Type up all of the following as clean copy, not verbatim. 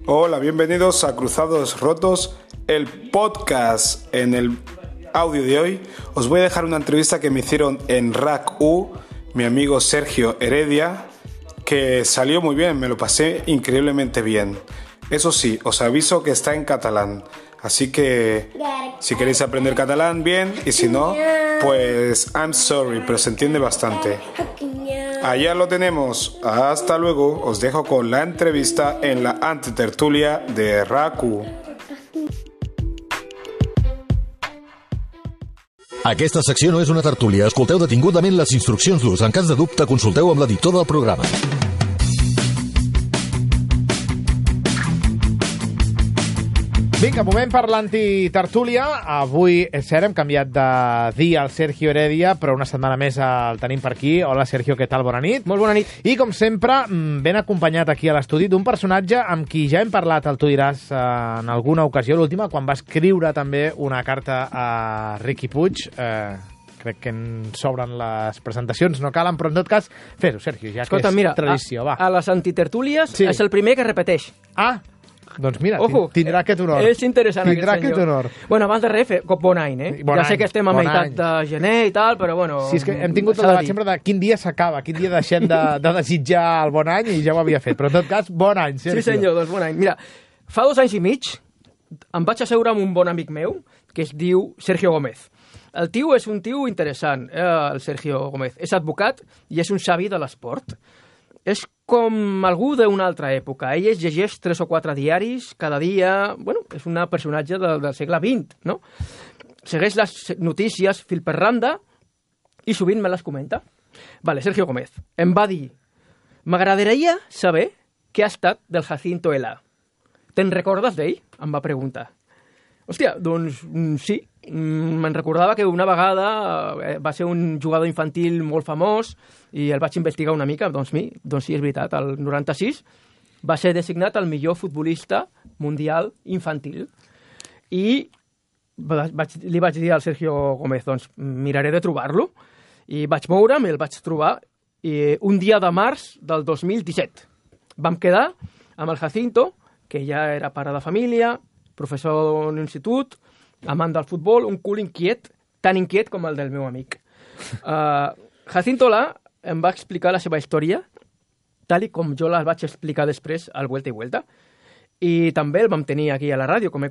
Hola, bienvenidos a Cruzados Rotos, el podcast. En el audio de hoy os voy a dejar una entrevista que me hicieron en RAC-U, mi amigo Sergio Heredia, que salió muy bien, me lo pasé increíblemente bien. Eso sí, os aviso que está en catalán, así que si queréis aprender catalán, bien, y si no, pues I'm sorry, pero se entiende bastante. Allá lo tenemos. Hasta luego. Os dejo con la entrevista en la antitertulia de RAC-U. Aquesta secció no és una tertúlia. Escolteu detingudament les instruccions d'ús. En cas de dubte, consulteu amb l'editor del programa. Vinga, moment per l'antitertúlia. Avui, és cert, hem canviat de dia al Sergio Heredia, però una setmana més el tenim per aquí. Hola, Sergio, què tal? Bona nit. Molt bona nit. I, com sempre, ben acompanyat aquí a l'estudi d'un personatge amb qui ja hem parlat, el tu diràs, en alguna ocasió, l'última, quan va escriure també una carta a Riqui Puig. Crec que ens sobren les presentacions, no calen, però en tot cas, fes-ho, Sergio, ja Escolta, que és mira, tradició, va. A les antitertúlies Sí. és el primer que repeteix. Ah, doncs mira, Ojo, tindrà aquest honor. És interessant Tindrà aquest aquest honor. Bueno, abans de res, bon any, eh? Bon ja any, sé que estem a bon meitat any. de gener i tal, però bueno... Sí, és que hem tingut el s'ha de debat dir. sempre de quin dia s'acaba, quin dia deixem de desitjar el bon any, i ja ho havia fet. Però en tot cas, bon any, Sergio. Sí, senyor, doncs bon any. Mira, fa 2 anys i mig em vaig asseure amb un bon amic meu que es diu Sergio Gómez. El tio és un tio interessant, el Sergio Gómez. És advocat i és un savi de l'esport. És com algú d'una altra època. Ell es llegeix 3 o 4 diaris cada dia. Bueno, és un personatge del segle XX, no? Segueix les notícies fil per randa i sovint me les comenta. Vale, Sergio Gómez em va dir: m'agradaria saber què ha estat del Jacinto Ela. Te'n recordes d'ell? Em va preguntar. Hòstia, doncs sí. Me'n recordava que una vegada va ser un jugador infantil molt famós i el vaig investigar una mica. Doncs sí, és veritat. El 96 va ser designat el millor futbolista mundial infantil. I li vaig dir al Sergio Gómez, doncs miraré de trobar-lo. I vaig moure'm i el vaig trobar un dia de març del 2017. Vam quedar amb el Jacinto, que ja era pare de família, professor d'un institut, amant del futbol, un cul inquiet, tan inquiet com el del meu amic. Jacinto Ela em va explicar la seva història, tal i com jo la vaig explicar després al Vuelta i Vuelta, i també el vam tenir aquí a la ràdio, com he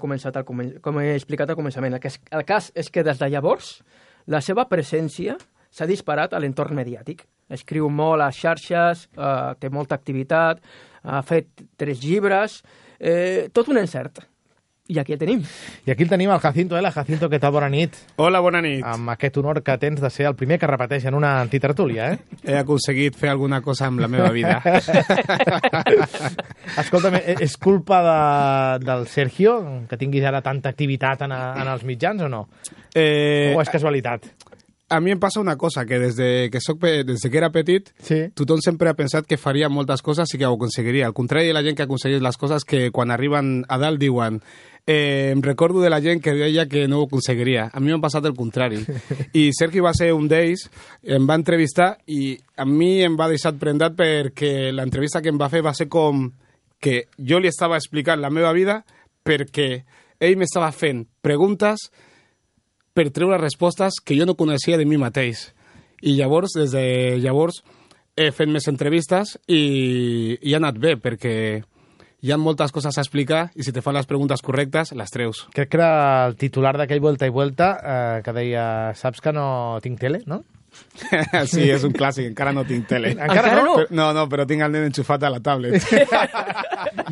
explicat al començament. El cas és que des de llavors la seva presència s'ha disparat a l'entorn mediàtic. Escriu molt a xarxes, té molta activitat, ha fet 3 llibres, tot un encert. I aquí el tenim. I aquí el tenim, el Jacinto Ela. Jacinto, què tal? Bona nit. Hola, bona nit. Amb aquest honor que tens de ser el primer que repeteix en una antitertúlia, eh? He aconseguit fer alguna cosa amb la meva vida. Escolta'm, és culpa del Sergio que tinguis ara tanta activitat en els mitjans o no? O és casualitat? A mi em passa una cosa, que des que era petit, Sí. tothom sempre ha pensat que faria moltes coses i que ho aconseguiria. Al contrari de la gent que aconsegueix les coses, que quan arriben a dalt diuen em recordo de la gent que deia que no ho aconseguiria. A mi m'ha passat el contrari. I Sergi va ser un d'ells, em va entrevistar i a mi em va deixar prendat perquè l'entrevista que em va fer va ser com que jo li estava explicant la meva vida perquè ell m'estava fent preguntes per treure respostes que jo no coneixia de mi mateix. I llavors, des de llavors, he fet més entrevistes i ha anat bé, perquè hi ha moltes coses a explicar i si te fan les preguntes correctes, les treus. Crec que era el titular d'aquell Vuelta i Vuelta que deia, saps que no tinc tele, no? Sí, és un clàssic, encara no tinc tele. Encara no? No, però tinc el nen enxufat a la tablet.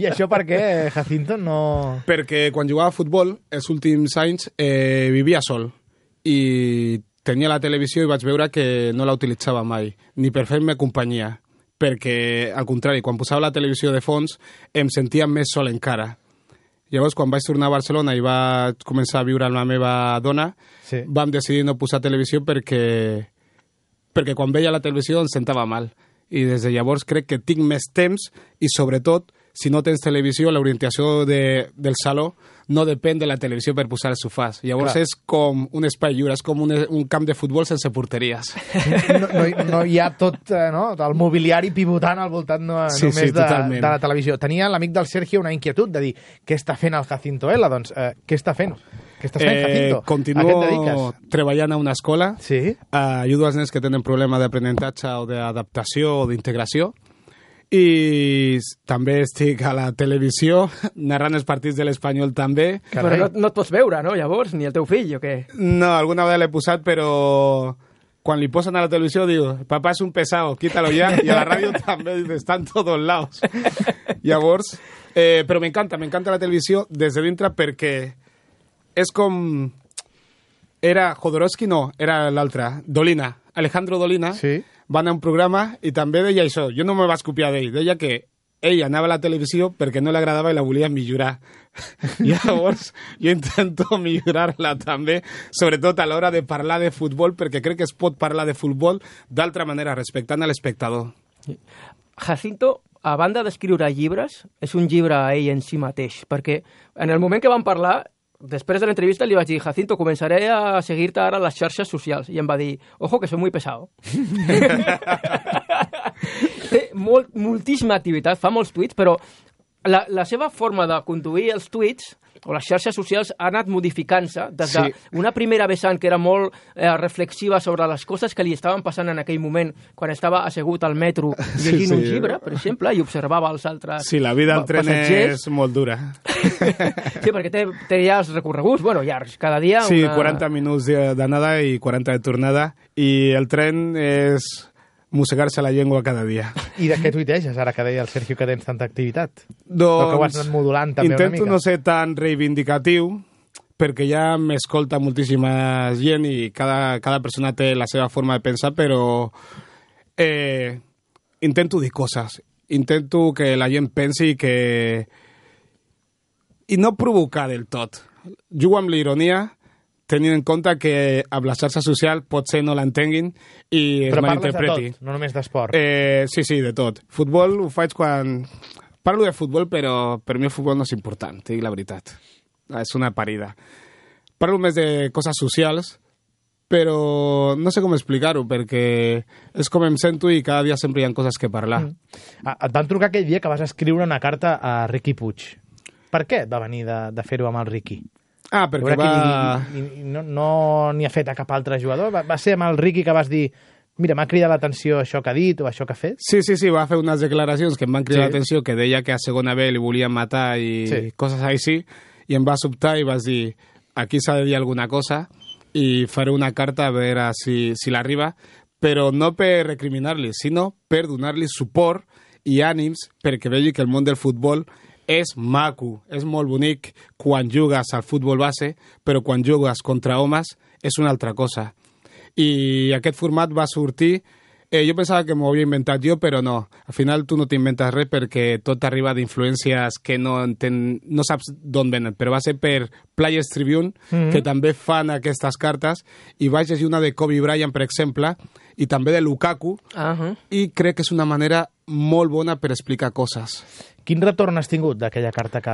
I això per què, Jacinto, no... Perquè quan jugava a futbol, els últims anys, vivia sol i tenia la televisió i vaig veure que no la utilitzava mai, ni per fer-me companyia, perquè, al contrari, quan posava la televisió de fons, em sentia més sol encara. Llavors, quan vaig tornar a Barcelona i vaig començar a viure amb la meva dona, Sí. vam decidir no posar televisió perquè quan veia la televisió em sentava mal. I des de llavors crec que tinc més temps i, sobretot, si no tens televisió, l'orientació del saló no depèn de la televisió per posar els sofàs. Llavors és com un espai lliure, és com un camp de futbol sense porteries. No hi ha tot el mobiliari pivotant al voltant només de la televisió. Tenia l'amic del Sergio una inquietud de dir què està fent el Jacinto Ela? Doncs què està fent? Què estàs fent, Jacinto? Continuo treballant a una escola. Sí. Ajudo als nens que tenen problema d'aprenentatge o d'adaptació o d'integració. I també estic a la televisió, narrant els partits de l'Espanyol també. Però no et pots veure, no, llavors? Ni el teu fill, o què? No, alguna vegada l'he posat, però quan li posen a la televisió diu, papá es un pesado, quítalo ya. I a la ràdio també dice, está en todos lados. Llavors, però m'encanta la televisió des de dintre perquè és com... Era Jodorowsky, no, era l'altre, Dolina, Alejandro Dolina, sí. Va anar a un programa i també deia això. Jo no me vaig copiar d'ell. Deia que ell anava a la televisió perquè no li agradava i la volia millorar. Llavors, jo intento millorar-la també, sobretot a l'hora de parlar de futbol, perquè crec que es pot parlar de futbol d'altra manera, respectant a l'espectador. Jacinto, a banda d'escriure llibres, és un llibre a ell en si mateix, perquè en el moment que vam parlar, després de l'entrevista li vaig dir, Jacinto, començaré a seguir-te ara a les xarxes socials. I em va dir, ojo, que soy muy pesado. Té moltíssima activitat, fa molts tuits, però la seva forma de conduir els tuits o les xarxes socials ha anat modificant-se des d'una primera vessant que era molt reflexiva sobre les coses que li estaven passant en aquell moment quan estava assegut al metro llegint un llibre, per exemple, i observava els altres Sí, la vida al tren és molt dura. Sí, perquè té ja els recorreguts, llargs, cada dia... Sí, 40 minuts d'anada i 40 de tornada, i el tren és mossegar-se la llengua cada dia. I de què tuiteges, ara que deia el Sergio que tens tanta activitat? Doncs que ho has anat modulant també una mica. Intento no ser tan reivindicatiu, perquè ja m'escolta moltíssima gent i cada persona té la seva forma de pensar, però intento dir coses. Intento que la gent pensi i no provocar del tot. Jugo amb l'ironia, tenint en compte que amb la xarxa social potser no l'entenguin i es malinterpreti. Però parles de tot, no només d'esport. Sí, de tot. Futbol ho faig quan... Parlo de futbol, però per mi el futbol no és important, te dic la veritat. És una parida. Parlo més de coses socials, però no sé com explicar-ho, perquè és com em sento i cada dia sempre hi ha coses que parlar. Et van trucar aquell dia que vas escriure una carta a Riqui Puig. Per què va venir de fer-ho amb el Riqui? Perquè no n'hi ha fet a cap altre jugador? Va ser amb el Riqui que vas dir mira, m'ha cridat l'atenció això que ha dit o això que ha fet? Sí, va fer unes declaracions que em van cridar l'atenció, que deia que a segona B li volien matar i coses així, i em va sobtar i vas dir, aquí s'ha de dir alguna cosa i faré una carta a veure si l'arriba, però no per recriminar-li, sinó per donar-li suport i ànims perquè vegi que el món del futbol és maco, és molt bonic quan jugues al futbol base, però quan jugues contra homes és una altra cosa. I aquest format va sortir... jo pensava que m'ho havia inventat jo, però no. Al final tu no t'inventes res perquè tot arriba d'influències que no saps d'on venen. Però va ser per Players Tribune, que també fan aquestes cartes, i vaig llegir una de Kobe Bryant, per exemple, i també de Lukaku, i crec que és una manera molt bona per explicar coses. Quin retorn has tingut d'aquella carta que...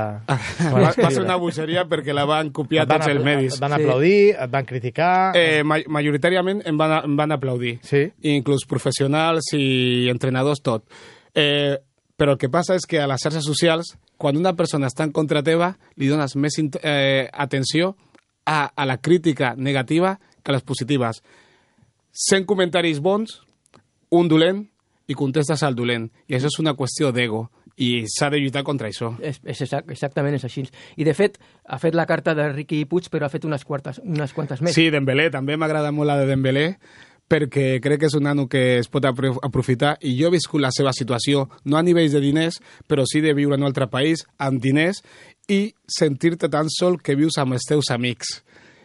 Va ser una bogeria perquè la van copiar tots els medis. Et van aplaudir, et van criticar... Majoritàriament em van aplaudir. Sí? Inclús professionals i entrenadors, tot. Però el que passa és que a les xarxes socials, quan una persona està en contra teva, li dones més atenció a la crítica negativa que a les positives. 100 comentaris bons, un dolent, i contestes al dolent. I això és una qüestió d'ego. I s'ha de lluitar contra això. Exactament és així. I, de fet, ha fet la carta de Riqui Puig, però ha fet unes quantes més. Sí, Dembélé. També m'agrada molt la de Dembélé, perquè crec que és un nano que es pot aprofitar. I jo he viscut la seva situació, no a nivells de diners, però sí de viure en un altre país, amb diners, i sentir-te tan sol que vius amb els teus amics.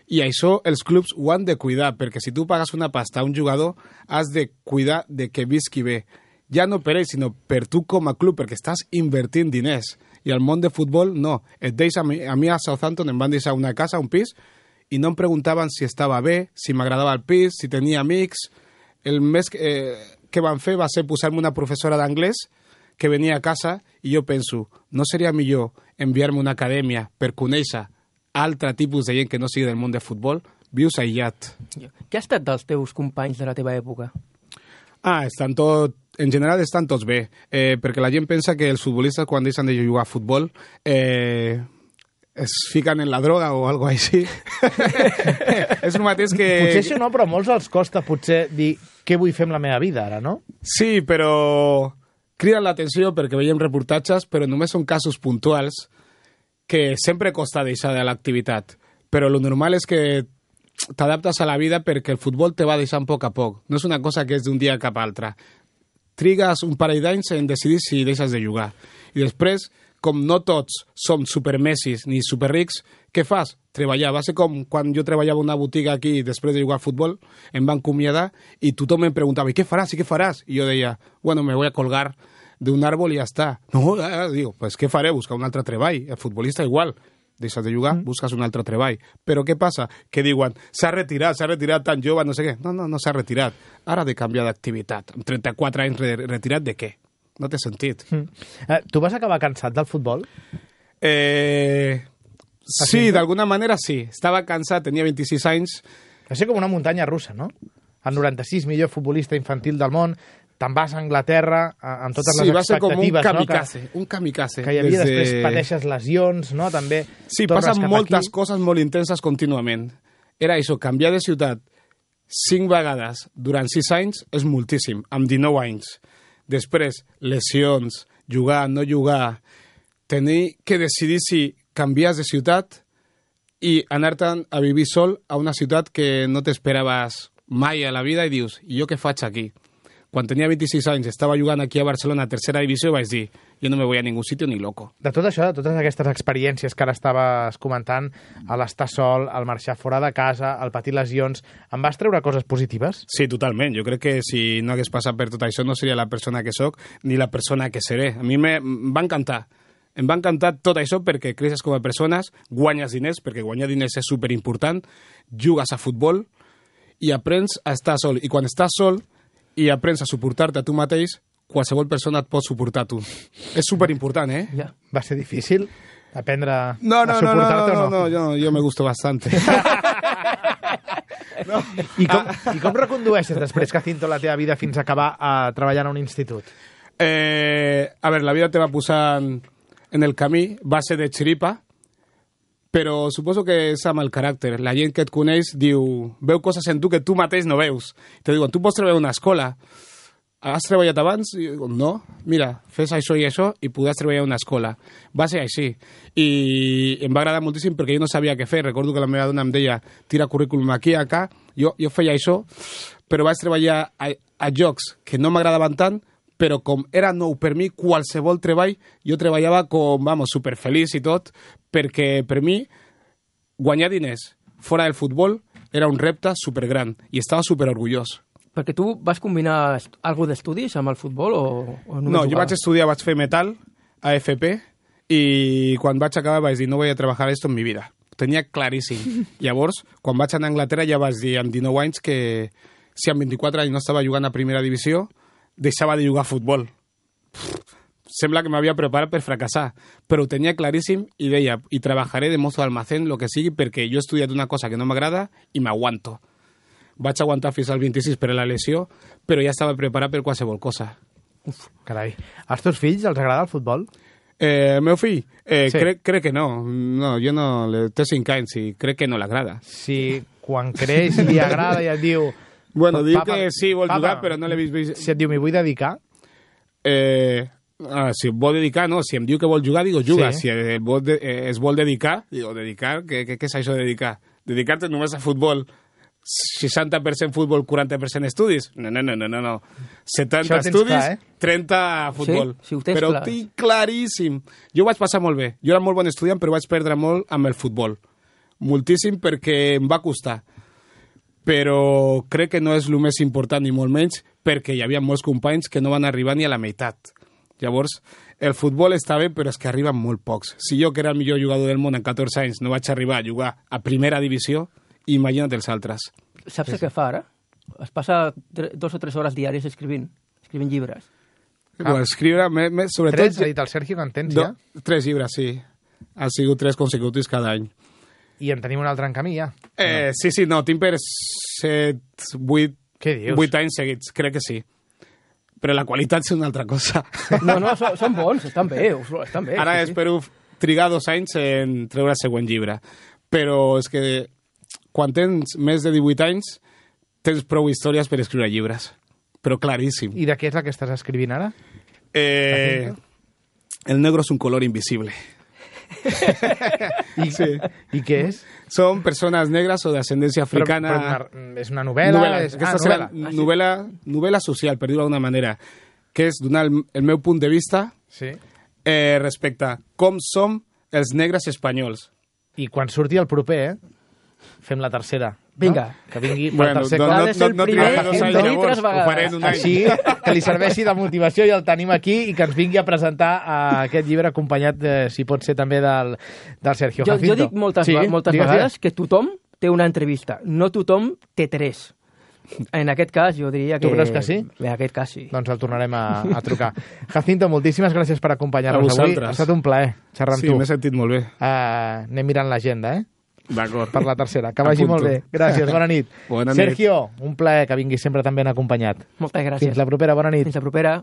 I això els clubs ho han de cuidar, perquè si tu pagues una pasta a un jugador, has de cuidar de que visqui bé. Ja no per ell, sinó per tu com a club, perquè estàs invertint diners. I al món de futbol, no. A mi a Southampton em van deixar una casa, un pis, i no em preguntaven si estava bé, si m'agradava el pis, si tenia amics. El més que van fer va ser posar-me una professora d'anglès, que venia a casa i jo penso, no seria millor enviar-me a una acadèmia per conèixer altre tipus de gent que no sigui del món de futbol? Vius aïllat. Què ha estat dels teus companys de la teva època? En general estan tots bé, perquè la gent pensa que els futbolistes quan deixen de jugar a futbol es fiquen en la droga o algo així. És el mateix que... Potser això no, però a molts els costa potser dir què vull fer amb la meva vida ara, no? Sí, però criden l'atenció perquè veiem reportatges, però només són casos puntuals que sempre costa deixar de l'activitat. Però lo normal és que t'adaptes a la vida perquè el futbol te va deixant a poc. No és una cosa que és d'un dia cap a altre. Trigues un parell d'anys en decidir si deixes de jugar. I després, com no tots som supermessis ni superrics, què fas? Treballar. Va ser com quan jo treballava en una botiga aquí després de jugar a futbol, em van acomiadar i tothom em preguntava, ¿y qué faràs? ¿Y qué faràs? I jo deia, bueno, me voy a colgar de un árbol y ya está. No, digo, pues què faré? Buscar un altre treball. El futbolista igual. Deixes de jugar, busques un altre treball. Però què passa? Que diuen, s'ha retirat tan jove, no sé què. No s'ha retirat. Ara ha de canviar d'activitat. Amb 34 anys retirat de què? No té sentit. Tu vas acabar cansat del futbol? Sí, d'alguna manera sí. Estava cansat, tenia 26 anys. Va ser com una muntanya russa, no? El 96 millor futbolista infantil del món, te'n vas a Anglaterra amb totes les expectatives. Sí, va ser com un kamikaze. Que hi havia després pateixes lesions, no? També sí, passen moltes coses molt intenses contínuament. Era això, canviar de ciutat 5 vegades durant 6 anys és moltíssim, amb 19 anys. Després, lesions, jugar, no jugar, tenir que decidir si canvies de ciutat i anar-te'n a vivir sol a una ciutat que no t'esperaves mai a la vida i dius, i jo què faig aquí? Quan tenia 26 anys, estava jugant aquí a Barcelona a tercera divisió i vaig dir, jo no me voy a ningún sitio ni loco. De tot això, de totes aquestes experiències que ara estaves comentant, l'estar sol, el marxar fora de casa, el patir lesions, en vas treure coses positives? Sí, totalment. Jo crec que si no hagués passat per tot això no seria la persona que sóc ni la persona que seré. A mi em va encantar. Em va encantar tot això perquè creixes com a persones, guanyes diners, perquè guanyar diners és superimportant, jugues a futbol i aprens a estar sol. I quan estàs sol i aprens a suportar-te a tu mateix, qualsevol persona et pot suportar a tu. És superimportant, eh? Ja. Va ser difícil aprendre a suportar-te o no? No, yo me gusto bastante. No. I com recondueixes després, Jacinto, la teva vida fins a acabar treballant a un institut? A ver, la vida te va posant en el camí, va ser de xiripa, però suposo que és amb el caràcter. La gent que et coneix veu coses en tu que tu mateix no veus. Te diuen, tu pots treballar a una escola. Has treballat abans? I dic, no, mira, fes això i això i podràs treballar a una escola. Va ser així. I em va agradar moltíssim perquè jo no sabia què fer. Recordo que la meva dona em deia, tira currículum aquí, acá. Jo feia això, però vaig treballar a jocs que no m'agradaven tant, però com era nou per mi, qualsevol treball, jo treballava com, superfeliç i tot, perquè per mi guanyar diners fora del futbol era un repte supergran i estava superorgullós. Perquè tu vas combinar alguna d'estudis amb el futbol o només No, jo vaig estudiar, vaig fer metal a FP i quan vaig acabar vaig dir no voy a treballar esto en mi vida. Ho tenia claríssim. Llavors, quan vaig anar a Anglaterra ja vaig dir amb 19 anys que si amb 24 anys no estava jugant a primera divisió deixava de jugar a futbol. Sembla que m'havia preparat per fracassar, però ho tenia claríssim i deia, i treballaré de mozo d'almacén, lo que sigui, perquè jo he estudiat una cosa que no m'agrada i m'aguanto. Vaig aguantar fins al 26 per la lesió, però ja estava preparat per qualsevol cosa. Uf, carai. Als teus fills els agrada el futbol? El meu fill? Sí. Crec que no. No, jo no... Té 5 anys i crec que no l'agrada. Si quan creix li agrada i et diu... Bueno, diu que sí, vol jugar, però no l'he vist... Si et diu, m'hi vull dedicar? Si em vol dedicar, no. Si em diu que vol jugar, digo, juga. Sí. Si es vol dedicar, digo, dedicar? Què és això de dedicar? Dedicar-te només a futbol, 60% futbol, 40% estudis? No. 70 estudis, 30 a futbol. Sí, ho tens però clar. tinc claríssim. Jo ho vaig passar molt bé. Jo era molt bon estudiant, però vaig perdre molt amb el futbol. Moltíssim perquè em va costar. Però crec que no és el més important, ni molt menys, perquè hi havia molts companys que no van arribar ni a la meitat. Llavors, el futbol està bé, però és que arriben molt pocs. Si jo, que era el millor jugador del món en 14 anys, no vaig arribar a jugar a primera divisió, imagina't els altres. Saps què fa ara? Es passa 2 o 3 hores diàries escrivint llibres. Escriure, sobretot... 3, ha dit el Sergio, que en tens ja? 3 llibres, sí. Han sigut 3 consecutius cada any. I en tenim un altre en camí, ja? Sí, no, tinc per 7, 8... Què dius? 8 anys seguits, crec que sí. Però la qualitat és una altra cosa. No, són bons, estan bé. Ara espero trigar 2 anys en treure el següent llibre. Però és que quan tens més de 18 anys tens prou històries per escriure llibres. Però claríssim. I de què és la que estàs escrivint ara? El negro és un color invisible. I què és? Són persones negres o d'ascendència africana. Però és una novel·la? Novel·la social, per dir-ho d'alguna manera, que és donar el meu punt de vista respecte a com som els negres espanyols. I quan surti el proper, fem la tercera. Vinga. No? Que vingui per Bueno, tercer no, cop. Ha de ser el primer no en trigaré venir 3 llavors, ho faré en un any. Així, que li serveixi de motivació i el tenim aquí i que ens vingui a presentar aquest llibre acompanyat, si pot ser també, del Sergio Jacinto. Jo dic moltes vegades que tothom té una entrevista, no tothom té 3. En aquest cas, jo diria que... Tu creus que sí? En aquest cas, sí. Doncs el tornarem a trucar. Jacinto, moltíssimes gràcies per acompanyar-nos avui. Ha estat un plaer xerrar amb tu. Sí, m'he sentit molt bé. Anem mirant l'agenda, D'acord. per la tercera. Que vagi molt bé. Gràcies, bona nit. Bona nit. Sergio, un plaer que vinguis sempre tan ben acompanyat. Moltes gràcies. Fins la propera, bona nit. Fins la propera.